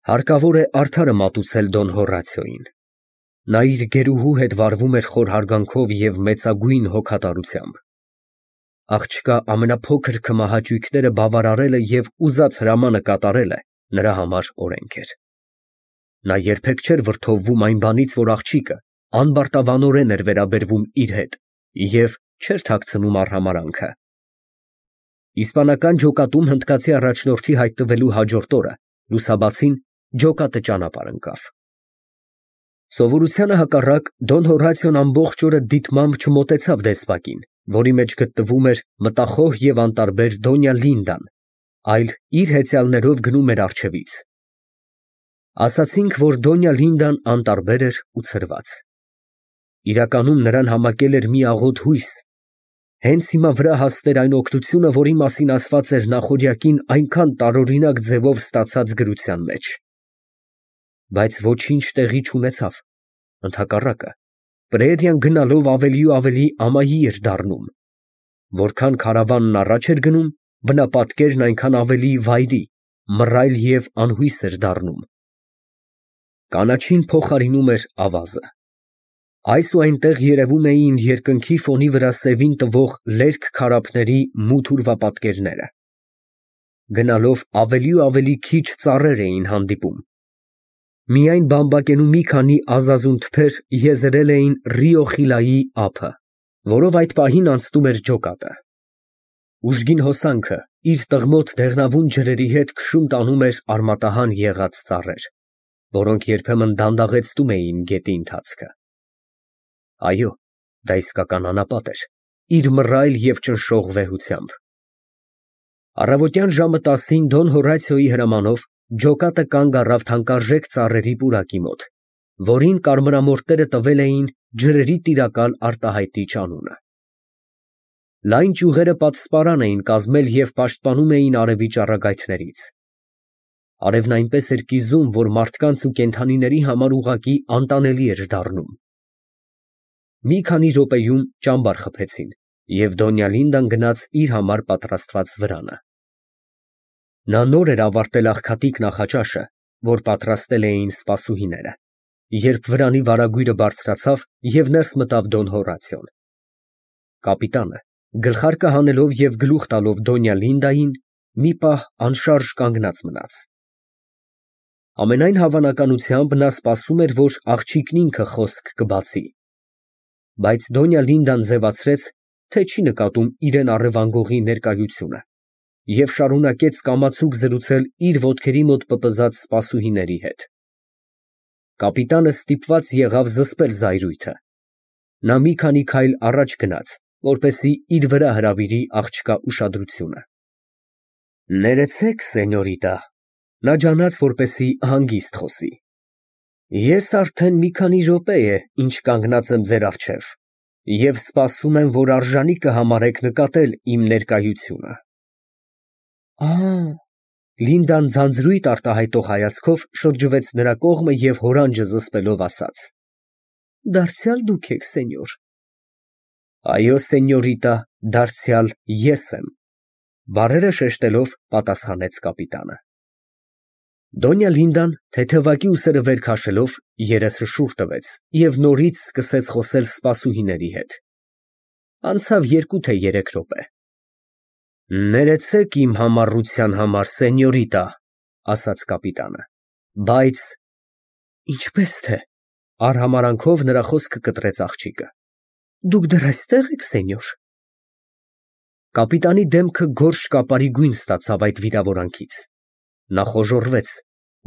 Հարկավոր է արդարը մատուցել Դոն Հոռացիոին։ Նա իր գերուհու հետ վարվում էր խոր հարգանքով և մեծագույն հոգատարությամբ։ Աղջկա ամենափոքր քմահաճույքները բավարարելը և ուզած հրամանը կատարելը նրա համար օրենք էր։ Նա երբեք չէր վրդովվում այն բանից, որ աղջիկը անբարտավանորեն էր վերաբերվում իր հետ և չէր թաքցնում արհամարհանքը։ Իսպանական ջոկատում հնդկացի առաջնորդի հայտնվելու հաջորդ օրը լուսաբացին ջոկատը ճանապարհ ընկավ։ Սովորությանը հակառակ Դոն Հոռացիոն ամբողջ օրը դիտմամբ չմոտեցավ դեսպակին, որի մեջ գտնվում էր մտախոհ և անտարբեր Դոնյա Լինդան, այլ իր հեծյալներով գնում էր առջևից։ Ասացինք, որ Դոնյա Լինդան անտարբեր էր ու ցրված։ Իրականում նրան համակել էր մի աղոտ հույս, հենց հիմա վրա հասներ այն օգնությունը, որի մասին ասված էր նախօրյակին այնքան տարօրինակ ձևով ստացած գրության մեջ։ Բայց ոչինչ տեղի չունեցավ, ընդհակառակը, պրայերիան գնալով ավելի ու ավելի ամայի էր դառնում։ Որքան քարավանն առաջ էր գնում, բնապատկերն այնքան ավելի վայրի, մռայլ և անհույս էր դառնում։ Կանաչին փոխարինում էր ավազը։ Այս ու այնտեղ երևում էին երկնքի ֆոնի վրա սևին տվող լերկ քարափների մութ ուրվապատկերները։ Գնալով ավելի ու ավելի քիչ ծառեր էին հանդիպում։ Միայն բամբակենու մի քանի ազազուն թփեր եզերել էին Ռիո Խիլայի ափը, որով այդ պահին անցնում էր ջոկատը։ Ուժգին հոսանքը իր տղմոտ դեղնավուն ջրերի հետ քշում տանում էր արմատահան եղած ծառեր, որոնք երբեմն դանդաղեցնում էին գետի ընթացքը։ Այո, դա իսկական անապատ էր, իր մռայլ և ճնշող վեհությամբ։ Առավոտյան ժամը 10-ին Դոն Հոռացիոյի հրամանով ջոկատը կանգ առավ թանկարժեք ծառերի պուրակի մոտ, որին կարմրամորթները տվել էին ջրերի տիրակալ արտահայտիչ անունը։ Լայն ճյուղերը պատսպարան էին կազմել և պաշտպանում էին արևի ճառագայթներից։ Արևն այնպես էր կիզում, որ մարդկանց ու կենդանիների համար ուղղակի անտանելի էր դառնում։ Մի քանի րոպեում ճամբար խփեցին, և Դոնյա Լինդան գնաց իր համար պատրաստված վրանը։ Նա նոր էր ավարտել աղքատիկ նախաճաշը, որ պատրաստել էին սպասուհիները, երբ վրանի վարագույրը բարձրացավ և ներս մտավ Դոն Հոռացիոն։ Կապիտանը, գլխարկը հանելով և գլուխ տալով Դոնյա Լինդային, մի պահ անշարժ կանգնած մնաց։ Ամենայն հավանականությամբ նա սպասում էր, որ աղջիկն ինքը խոսք կբացի, բայց Դոնյա Լինդան ձևացրեց, թե չի նկատում իրան առևանգողի ներկայությունը և շարունակեց կամացուկ զրուցել իր ոտքերի մոտ պպզած սպասուհիների հետ։ Կապիտանը ստիպված եղավ զսպել զայրույթը։ Նա մի քանի քայլ առաջ գնաց, որպեսզի իր վրա հրավիրի աղջկա ուշադրությունը։ Ներեցեք, սենյորիտա, նա ջանաց, որպեսզի հանգիստ խոսի։ Ես արդեն մի քանի րոպե է, ինչ կանգնած եմ ձեր առջև և սպասում եմ, որ արժանի կհամարեք նկատել իմ ներկայությունը։ Լինդան ձանձրույթ արտահայտող հայացքով շրջվեց նրա կողմը և հորանջը զսպելով ասաց. Դարձյալ դուք եք, սենյոր։ Այո, սենյորիտա, դարձյալ ես եմ, բառերը շեշտելով պատասխանեց կապիտանը։ Դոնյա Լինդան, թեթևակի ուսերը վեր քաշելով, երեսը շուռ տվեց և նորից սկսեց խոսել սպասուհիների հետ։ Անցավ 2 թե 3 րոպե։ Ներեցեք իմ համառության համար, սենյորիտա, ասաց կապիտանը, բայց… Ինչպես թե… արհամարհանքով նրա խոսքը կտրեց աղջիկը։ Դուք դեռ այստեղ եք, սենյոր։ Կապիտանի դեմքը գորշ կապարի գույն ստացավ այդ վիրավորանքից։ Նա խոժոռվեց,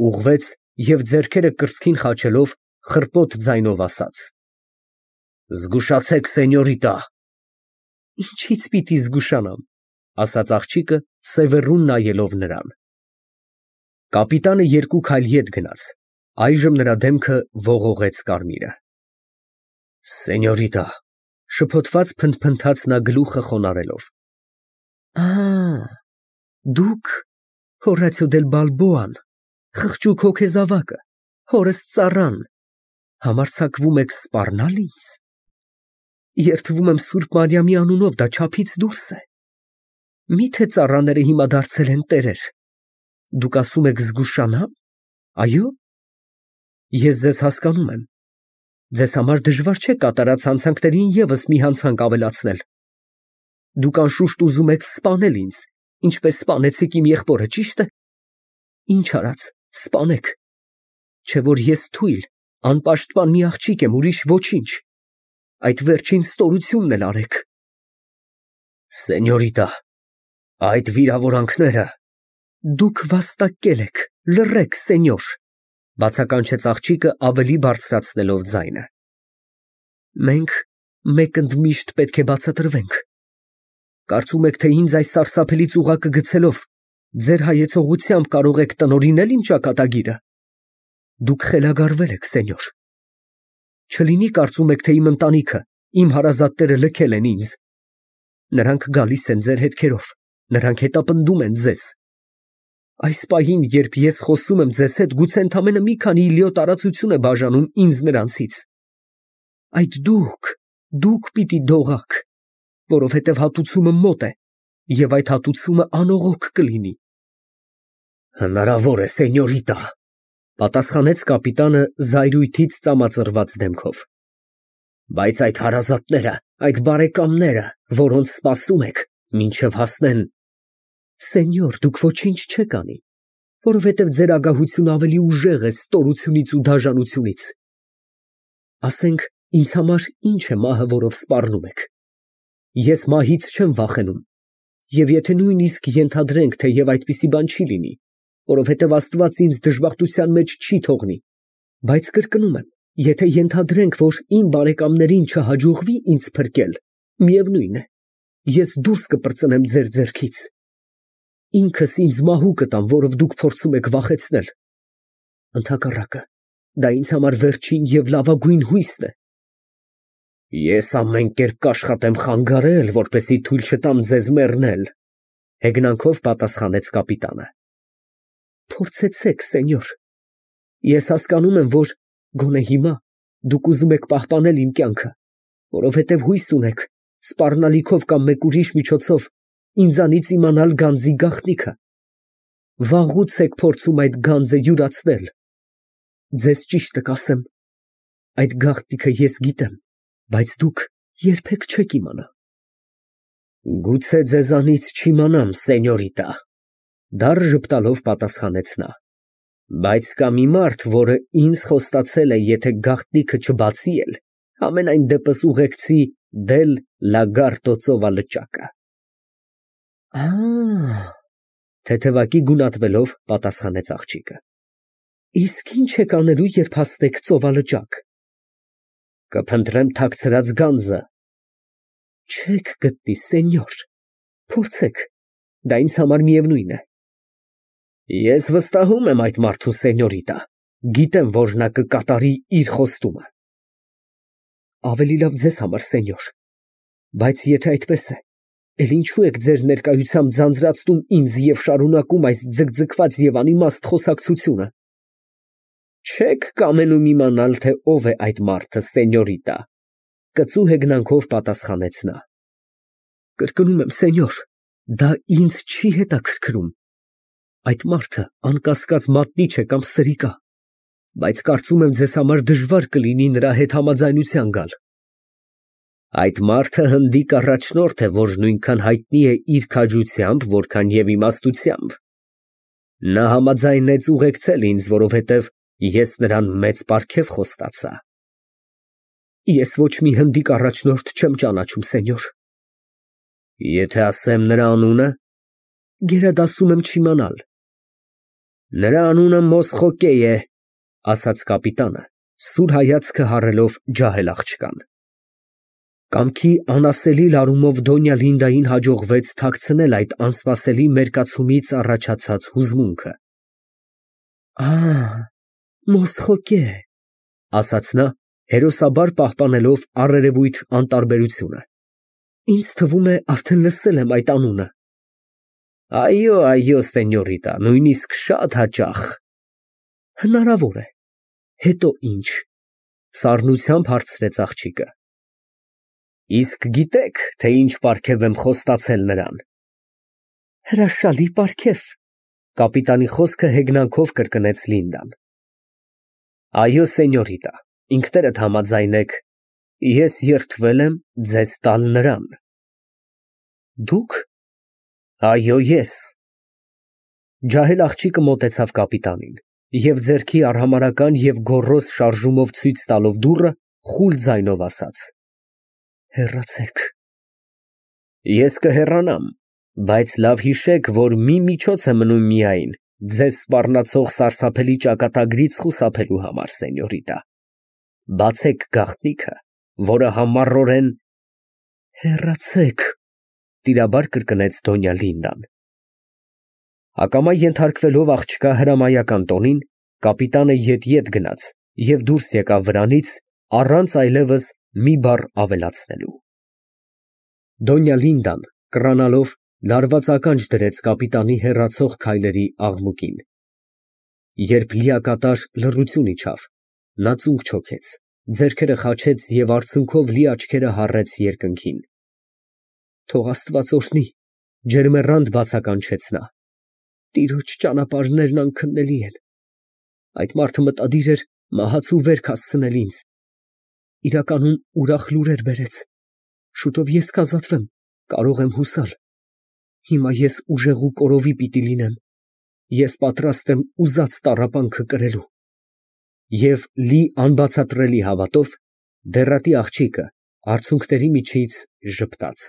ուղղվեց և ձեռքերը կրծքին խաչելով խռպոտ ձայնով ասաց. Զգուշացեք, սենյորիտա։ Ինչից պիտի զգուշանամ, ասաց աղջիկը, սևեռուն նայելով նրան։ Կապիտանը 2 քայլ ետ գնաց, այժմ նրա դեմքը ողողեց կարմիրը։ Սենյորիտա, շփոթված փնթփնթաց նա գլուխը խոնարհելով։ Դուք Հոռացիո դել Բալբոան, խղճուկ հոգեզավակը, հորս ծառան, համարձակվում եք սպառնալ ինձ։ Երդվում եմ Սուրբ Մարիամի անունով, դա չափից դուրս է։ Մի՞թե ծառաները հիմա դարձել են տերեր։ Դուք ասում եք զգուշանա՞մ։ Այո՞։ Ես ձեզ հասկանում եմ։ Ձեզ համար դժվար չէ կատարած հանցանքներին ևս մի հանցանք ավելացնել։ Դուք անշուշտ ուզում եք սպանել ինձ, ինչպես սպանեցիք իմ եղբորը, ճի՞շտ է։ Ինչ արած, սպանեք։ Չէ որ ես թույլ, անպաշտպան մի աղջիկ եմ, ուրիշ ոչինչ։ Այդ վերջին ստորությունն էլ արեք։ Սենյորիտա, այդ վիրավորանքները… Դուք վաստակել եք, լռեք, սենյոր, բացականչեց աղջիկը ավելի բարձրացնելով ձայնը։ Մենք մեկընդմիշտ պետք է բացատրվենք։ Կարծում եք, թե ինձ այս սարսափելի ծուղակը գցելով, ձեր հայեցողությամբ կարող եք տնօրինել իմ ճակատագիրը։ Դուք խելագարվել եք, սենյոր։ Չլինի կարծում եք, թե իմ ընտանիքը, իմ հարազատները լքել են ինձ։ Նրանք գալիս են ձեր հետքերով, նրանք հետապնդում են ձեզ։ Այս պահին, երբ ես խոսում եմ ձեզ հետ, գուցե ընդամենը մի քանի իլիո տարածություն է բաժանում ինձ նրանցից։ Այդ դուք պիտի դողաք, որովհետև հատուցումը մոտ է, և այդ հատուցումը անողոք կլինի։ Հնարավոր է, սենյորիտա, պատասխանեց կապիտանը զայրույթից ծամածրված դեմքով։ Բայց այդ հարազատները, այդ բարեկամները, որոնց սպասում եք, մինչև հասնեն… Սենյոր, դուք ոչինչ չեք անի, որովհետև ձեր ագահությունը ավելի ուժեղ է ստորությունից ու դաժանությունից։ Ասենք, ինձ համար ինչ է մահը, որով սպառնում եք։ Ես մահից չեմ վախենում, և եթե նույնիսկ ենթադրենք, թեև այդպիսի բան չի լինի, որովհետև Աստված ինձ դժբախտության մեջ չի թողնի, բայց կրկնում եմ, եթե ենթադրենք, որ իմ բարեկամներին չհաջողվի ինձ փրկել, միևնույն է, ես դուրս կպրծնեմ ձեր ձեռքից։ Ինքս ինձ մահու կտամ, որով դուք փորձում եք վախեցնել։ Ընդհակառակը, դա ինձ համար վերջին և լավագույն հույսն է։ Ես ամեն կերպ կաշխատեմ խանգարել, որպեսզի թույլ չտամ ձեզ մեռնել, հեգնանքով պատասխանեց կապիտանը։ Փորձեցեք, սենյոր։ Ես հասկանում եմ, որ գոնե հիմա դուք ուզում եք պահպանել իմ կյանքը, որովհետև հույս ունեք սպառնալիքով կամ մեկ ուրիշ միջոցով ինձանից իմանալ գանձի գաղտնիքը։ Վաղուց եք փորձում այդ գանձը յուրացնել։ Ձեզ ճիշտը կասեմ, այդ գաղտնիքը ես գիտեմ, բայց դուք երբեք չեք իմանա։ Գուցե ձեզանից չիմանամ, սենյորիտա, դառ ժպտալով պատասխանեց նա։ Բայց կա մի մարդ, որը ինձ խոստացել է, եթե գաղտնիքը չբացի էլ, համենայն դեպս ուղեկցի Դել Լագարտո ծովալճակը։ Թեթևակի գունատվելով պատասխանեց աղջիկը։ Իսկ ինչ եք անելու, երբ հասնեք ծովալճակ։ Կփնտրեմ թաքցրած գանձը։ Չեք գտնի, սենյոր, փորձեք, դա ինձ համար միևնույն է։ Ես վստահում եմ այդ մարդու, սենյորիտա, գիտեմ, որ նա կկատարի իր խոստումը։ Ավելի լավ ձեզ համար, սենյոր, բայց եթե այդպես է, էլ ինչու եք ձեր ներկայությամբ ձանձրացնում ինձ և շարունակում այս ձգձգված և անիմաստ խոսակցությունը։ Չեք կամենում իմանալ, թե ով է այդ մարդը, սենյորիտա, կծու հեգնանքով պատասխանեց նա։ Կրկնում եմ, սենյոր, դա ինձ չի հետաքրքրում։ Այդ մարդը անկասկած մատնիչ է կամ սրիկա, բայց կարծում եմ ձեզ համար դժվար կլինի նրա հետ համաձայնության գալ։ Այդ մարդը հնդիկ առաջնորդ է, որ նույնքան հայտնի է իր քաջությամբ, որքան և իմաստությամբ։ Նա համաձայնեց ուղեկցել ինձ, որովհետև ես նրան մեծ պարգև խոստացա։ Ես ոչ մի հնդիկ առաջնորդ չեմ ճանաչում, սենյոր։ Եթե ասեմ նրա անունը։ Գերադասում եմ չիմանալ։ Նրա անունը Մոսխոկե է, ասաց կապիտանը, սուր հայացքը հառելով ջահել աղջկան։ Կամքի անասելի լարումով Դոնյա Լինդային հաջողվեց թաքցնել այդ անսպասելի մերկացումից առաջացած հուզմունքը։ Մոսխոկե, ասաց նա, հերոսաբար պահպանելով առերևույթ անտարբերությունը։ Ինձ թվում է, արդեն լսել եմ այդ անունը։ Այո, այո, սենյորիտա, նույնիսկ շատ հաճախ։ Հնարավոր է։ Հետո ինչ։ Սառնությամբ հարցրեց աղջիկը։ Իսկ գիտեք, թե ինչ պարգև եմ խոստացել նրան։ Հրաշալի պարգև, կապիտանի խոսքը հեգնանքով կրկնեց Լինդան։ Այո, սենյորիտա, ինքներդ համաձայն եք, ես երդվել եմ ձեզ տալ նրան։ Դուք։ Այո, ես։ Ջահել աղջիկը մոտեցավ կապիտանին և ձեռքի արհամարհական և գոռոզ շարժումով ցույց տալով դուռը, խուլ ձայնով ասաց. Հեռացեք։ Ես կհեռանամ, բայց լավ հիշեք, որ մի միջոց է մնում միայն ձեզ սպառնացող սարսափելի ճակատագրից խուսափելու համար, սենյորիտա։ Բացեք գաղտնիքը, որը համառորեն… Հեռացեք, տիրաբար կրկնեց Դոնյա Լինդան։ Ակամա ենթարկվելով աղջկա հրամայական տոնին, կապիտանը ետ գնաց և դուրս եկավ վրանից, առանց այլևս մի բառ ավելացնելու։ Դոնյա Լինդան, կռանալով, լարված ականջ դրեց կապիտանի հեռացող քայլերի աղմուկին։ Երբ լիակատար լռություն իջավ, նա ծունկ չոքեց, ձեռքերը խաչեց և արցունքով լի աչքերը հառեց երկնքին։ Թող Աստված օրհնի, ջերմեռանդ բացականչեց նա, տիրոջ ճանապարհներն անքննելի են։ Այդ մարդը մտադիր էր մահացու վերք հասցնել ինձ, իրականում ուրախ լուրեր բերեց, շուտով ես կազատվեմ, կարող եմ հուսալ։ Հիմա ես ուժեղու կորովի պիտի լինեմ, ես պատրաստ եմ ուզած տառապանքը կրելու։ Եվ լի անբացատրելի հավատով, դեռատի աղջիկը արցունքների միջից ժպտաց։